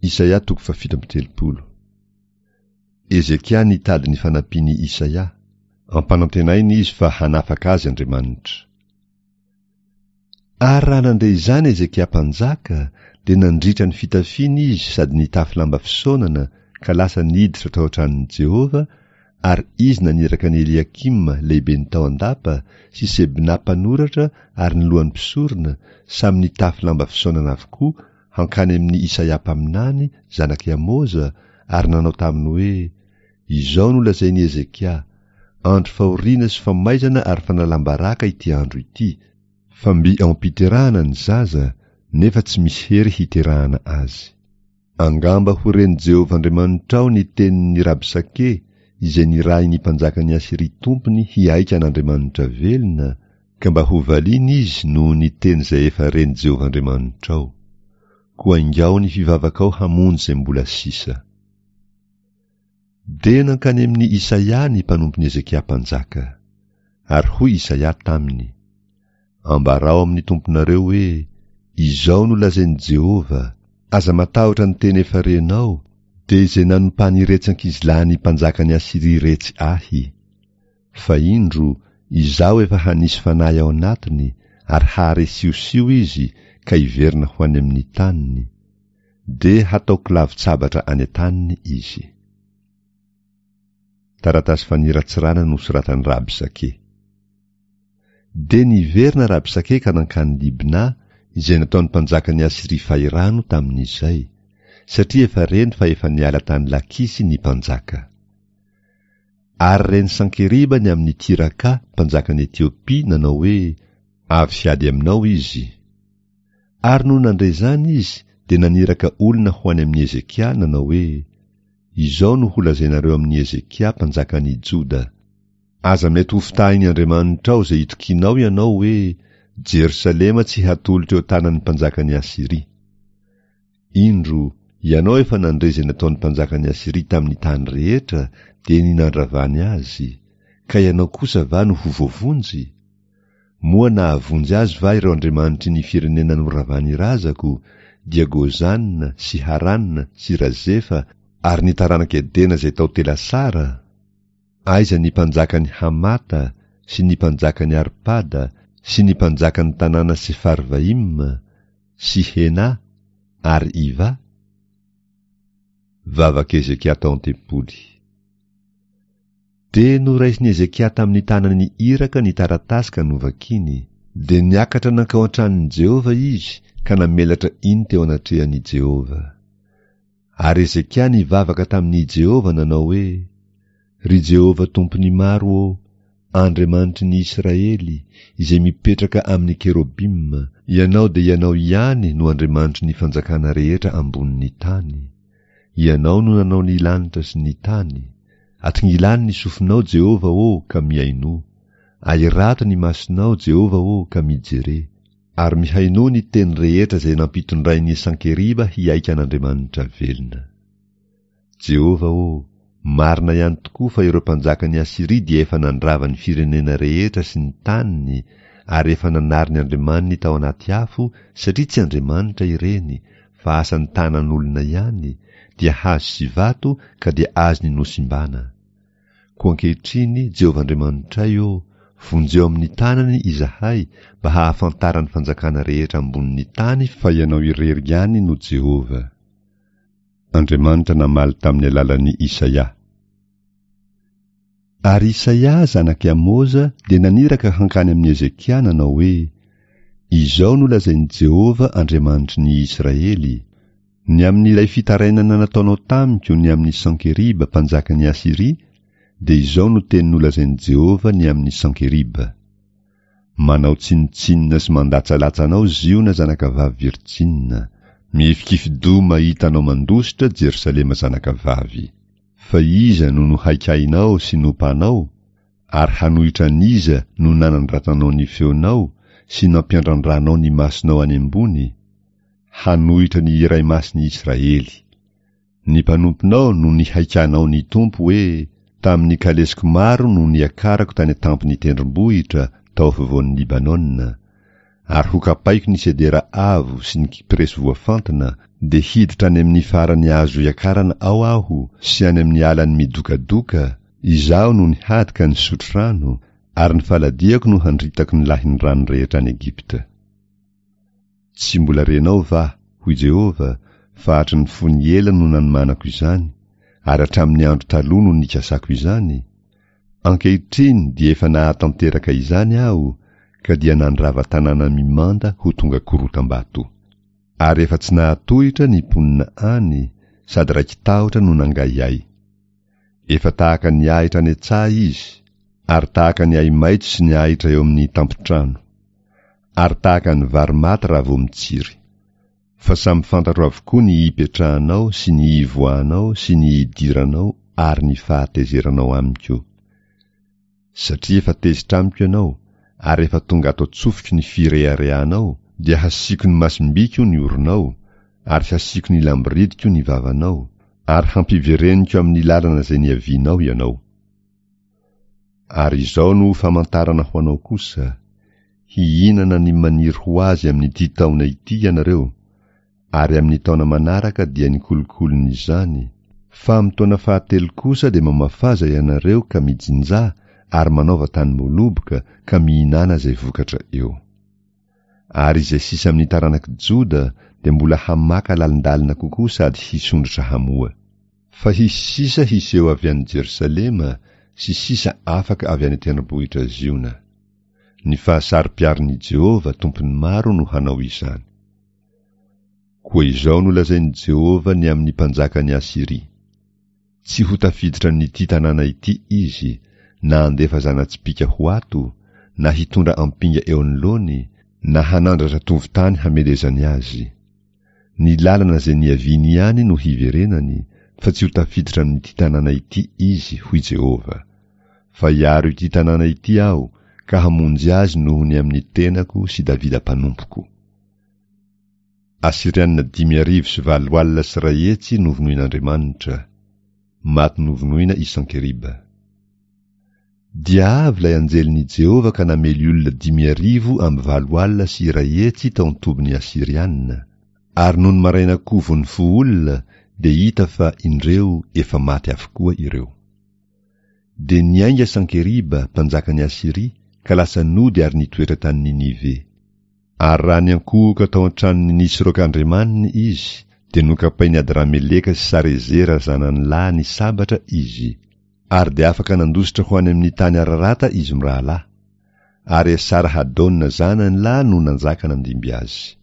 Isaia toko fahafito amby 30. Hezekia nitady ny fanampian'i Isaia. Ampanantenaina izy fa hanafaka azy Andriamanitra. Ary raha nandre izany Hezekia mpanjaka, dia nandritra ny fitafiany izy sady nitafy lamba fisaonana ka lasa niditra tao an-tranon'i Jehovah, ary izy naniraka an'i Eliakima lehiben'ny tao an-dapa sy Sebna mpanoratra ary ny lohan'ny mpisorona, samy nitafy lamba fisaonana avokoa, hankany amin'i Isaia mpaminany, zanak'i Amoza, ary nanao taminy hoe, Izao no lazain'i Hezekia, Andro fahoriana sy famaizana ary fanalam-baraka ity andro ity, fa mby ao am-piterahana ny zaza, nefa tsy misy hery hiterahana azy. Angamba ho ren'i Jehovah Andriamanitrao ny tenin'i Rabsake, izay nirahin'ny mpanjakan'i Asyria tompony hihaika an'Andriamanitra velona, Ka mba hovaliana izy noho ny teny izay efa ren'i Jehovah Andriamanitrao. Koa ingao ny fivavakao hamonjy izay mbola sisa. Dia nankany amin'i Isaia ny mpanompon'i Hezekia mpanjaka. Ary hoy Isaia taminy, Ambarao amin'ny tomponareo hoe, 'Izao no lazain'i Jehovah, Aza matahotra ny teny efa renao, dia izay nanompan'iretsy ankizilahin'ny mpanjakan'i Asyria iretsy ahy. Fa indro, Izaho efa hanisy fanahy ao anatiny, ary hahare siosio izy ka hiverina ho any amin'ny taniny. Dia hataoko lavon-tsabatra any an-taniny izy. Taratasy faniratsirana nosoratan'i Rabsake. Dia niverina Rabsake ka nankany Libna, izay nataon'ny mpanjakan'i Asyria fahirano tamin'izay, satria efa reny fa efa niala tany Lakisy ny mpanjaka. Ary ren'i Sankeriba ny amin'i Tiraka, mpanjakan'i Etiopia, nanao hoe, Avy hiady aminao izy. Ary nony nandre izany izy, dia naniraka olona ho any amin'i Hezekia, nanao hoe, Izao no holazainareo amin'i Hezekia, mpanjakan'i Joda, Aza mety hofitahin'ny Andriamanitrao izay itokianao ianao hoe, Jerosalema tsy hatolotra eo an-tanan'ny mpanjakan'i Asyria. Indro, ianao efa nandre izay nataon'ny mpanjakan'i Asyria tamin'ny tany rehetra, dia ny nandravany azy, ka ianao kosa va no ho voavonjy? Moa nahavonjy azy va ireo andriamanitry ny firenena noravan'ny razako, dia Gozana sy Harana sy Razefa ary ny taranak'i Edena izay tao Telasara? Aiza ny mpanjakan'i Hamata sy ny mpanjakan'i Arpada sy ny mpanjakan'ny tanàna Sefarvaima, sy Hena ary Iva? Vavak'i Hezekia tao an-tempoly. Dia noraisin'i Hezekia tamin'ny tanan'ny iraka ny taratasy ka novakiny. Dia niakatra nankao an-tranon'i Jehovah izy ka namelatra iny teo anatrehan'i Jehovah. Ary Hezekia nivavaka tamin'i Jehovah nanao hoe, Ry Jehovah Tompon'ny maro ô, Andriamanitry ny Israely, izay mipetraka amin'ny kerobima, Ianao dia Ianao ihany no Andriamanitry ny fanjakana rehetra ambonin'ny tany. Ianao no nanao ny lanitra sy ny tany. Atongilano ny sofinao, Jehovah ô, ka mihainoa. Ahirato ny masonao, Jehovah ô, ka mijere. Ary mihainoa ny teny rehetra izay nampitondrain'i Sankeriba hihaika an'Andriamanitra velona. Jehovah ô, marina ihany tokoa fa ireo mpanjakan'i Asyria dia efa nandrava ny firenena rehetra sy ny taniny ary efa nanary ny andriamaniny tao anaty afo satria tsy andriamanitra ireny fa asan'ny tanan'olona ihany, dia hazo sy vato ka dia azony nosimbana. Koa ankehitriny, Jehovah Andriamanitray ô, vonjeo amin'ny tanany izahay mba hahafantaran'ny fanjakana rehetra ambonin'ny tany fa Ianao irery ihany no Jehovah. Andriamanitra namaly tamin'ny alalan'i Isaia. Ary Isaia, zanak'i Amoza, dia naniraka hankany amin'i Hezekia nanao hoe, Izao no lazain'i Jehovah Andriamanitry ny Israely, Ny amin'ilay fitarainana nataonao tamiko ny amin'i Sankeriba mpanjakan'i Asyria, dia izao no teny nolazain'i Jehovah ny amin'i Sankeriba, Manao tsinontsinona sy mandatsalatsa anao Ziona zanakavavy virjinina. Mihifikifi-doha mahita anao mandositra Jerosalema zanakavavy. Fa iza no nohaikainao sy nompanao, ary hanohitra an'iza no nanandratanao ny feonao sy nampiandrandranao ny masonao any ambony? Hanohitra ny Iray Masin'i Israely. Ny mpanomponao no nihaikanao ny Tompo hoe, Tamin'ny kalesiko maro no niakarako tany an-tampon'ny tendrombohitra tao afovoan'i Libanona, ary hokapaiko ny sedera avo sy ny kipreso voafantina, Dia hiditra any amin'ny farany azo iakarana ao aho sy any amin'ny alan'ny midokadoka, izaho no nihady ka nisotro rano, ary ny faladiako no handritako ny lahin'ny rano rehetra any Egypta. Tsy mbola renao va, hoy Jehovah, fa hatry ny fony ela no nanomanako izany, ary hatramin'ny andro taloha no nikasako izany? Ankehitriny dia efa nahatanteraka izany Aho, ka dia nandrava tanàna mimanda ho tonga korotam-bato. Ary efa tsy nahatohitra ny mponina any, sady raiki-tahotra no nangahiahy. Efa tahaka ny ahitra any an-tsaha izy, ary tahaka ny ahi-maitso sy ny ahitra eo amin'ny tampon-trano. Ary tahaka ny vary maty raha vao mitsiry. Fa samy fantatro avokoa ny hipetrahanao sy ny hivoahanao sy ny hidiranao ary ny fahatezeranao amiko. Satria efa tezitra amiko ianao, ary efa tonga ato an-tsofiko ny fireharehanao, dia hasiako ny masom-biko ny oronao, ary hasiako ny lamboridiko ny vavanao, ary hampivereniko amin'ny lalana izay niavianao ianao. Ary izao no ho famantarana ho anao kosa, Hihinana ny maniry ho azy amin'ity taona ity ianareo, ary amin'ny taona manaraka dia ny kolokolon'izany, fa amin'ny taona fahatelo kosa dia mamafaza ianareo ka mijinjà ary manaova tanim-boaloboka ka mihinàna izay vokatra eo. Ary izay sisa amin'ny taranak'i Joda dia mbola hamaka lalindalina kokoa sady hisondrotra hamoa. Fa hisy sisa hiseho avy any Jerosalema sy sisa afaka avy any an-tendrombohitra Ziona. Ny fahasaro-piaron'i Jehovah, Tompon'ny maro no hanao izany. Koa izao no lazain'i Jehovah ny amin'ny mpanjakan'i Asyria, Tsy ho tafiditra amin'ity tanàna ity izy, na handefa zana-tsipìka ho ato, na hitondra ampinga eo anoloany, na hanandratra tovon-tany hamelezany azy. Ny lalana izay niaviany ihany no hiverenany, fa tsy ho tafiditra amin'ity tanàna ity izy, hoy Jehovah. Fa hiaro ity tanàna ity Aho, ka hamonjy azy noho ny amin'ny tenako sy Davida mpanompoko. Asyriana 185 100 novonoin'Andriamanitra. Maty novonoina i Sankeriba. Dia avy ilay anjelin'i Jehovah ka namely olona 185 100 tao an-tobin'ny Asyriana. Ary nony maraina koa vao nifoha olona, dia hita fa, indreo, efa maty avokoa ireo. Dia niainga Sankeriba, mpanjakan'i Asyria, ka lasa nody ary nitoetra tany Ninive. Ary raha niankohoka tao an-tranon'i Nisroka andriamaniny izy, dia nokapain'i Adrameleka sy Sarezera zanany lahy ny sabatra izy. Ary dia afaka nandositra ho any amin'ny tany Ararata izy mirahalahy. Ary Esara-hadona zanany lahy no nanjaka nandimby azy.